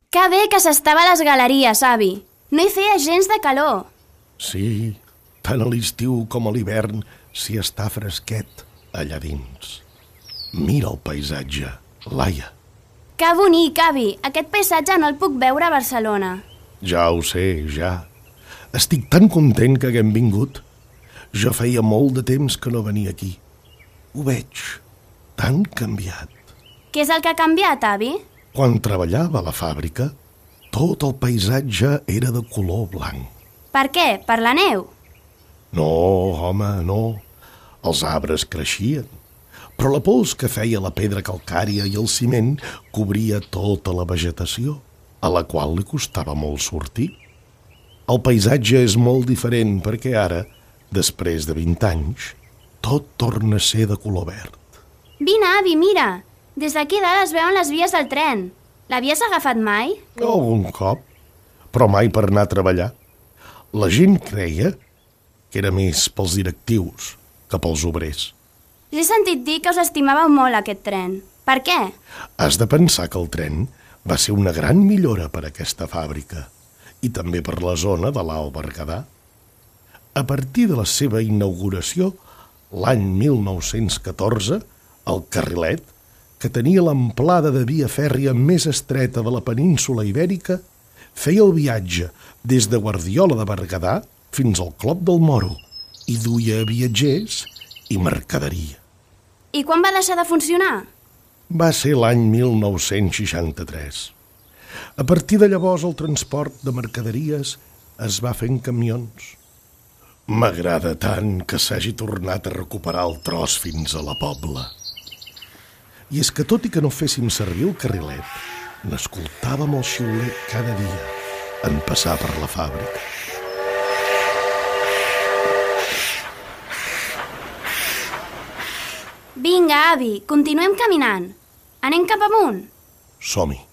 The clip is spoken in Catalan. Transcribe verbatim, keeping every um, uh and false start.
Que bé que s'estava a les galeries, avi. No hi feia gens de calor. Sí, tant a l'estiu com a l'hivern s'hi està fresquet allà dins. Mira el paisatge, Laia. Que bonic, avi. Aquest paisatge no el puc veure a Barcelona. Ja ho sé, ja. Estic tan content que haguem vingut. Jo feia molt de temps que no venia aquí. Ho veig tan canviat. Què és el que ha canviat, avi? Quan treballava a la fàbrica, tot el paisatge era de color blanc. Per què? Per la neu? No, home, no. Els arbres creixien, però la pols que feia la pedra calcària i el ciment cobria tota la vegetació, a la qual li costava molt sortir. El paisatge és molt diferent perquè ara, després de vint anys, tot torna a ser de color verd. Vine, avi, mira. Des d'aquí dalt es veuen les vies del tren. L'havies agafat mai? Algun cop, però mai per anar a treballar. La gent creia que era més pels directius que pels obrers. He sentit dir que us estimàveu molt aquest tren. Per què? Has de pensar que el tren va ser una gran millora per a aquesta fàbrica i també per la zona de l'Alt Berguedà. A partir de la seva inauguració, l'any mil nou-cents catorze, el carrilet, que tenia l'amplada de via fèrria més estreta de la península Ibèrica, feia el viatge des de Guardiola de Berguedà fins al Clot del Moro i duia viatgers i mercaderia. I quan va deixar de funcionar? Va ser l'any mil nou-cents seixanta-tres. A partir de llavors el transport de mercaderies es va fer en camions. M'agrada tant que s'hagi tornat a recuperar el tros fins a la Pobla. I és que tot i que no féssim servir el carrilet, n'escoltàvem el xiulet cada dia en passar per la fàbrica. Vinga, avi, continuem caminant. Anem cap amunt. Som-hi.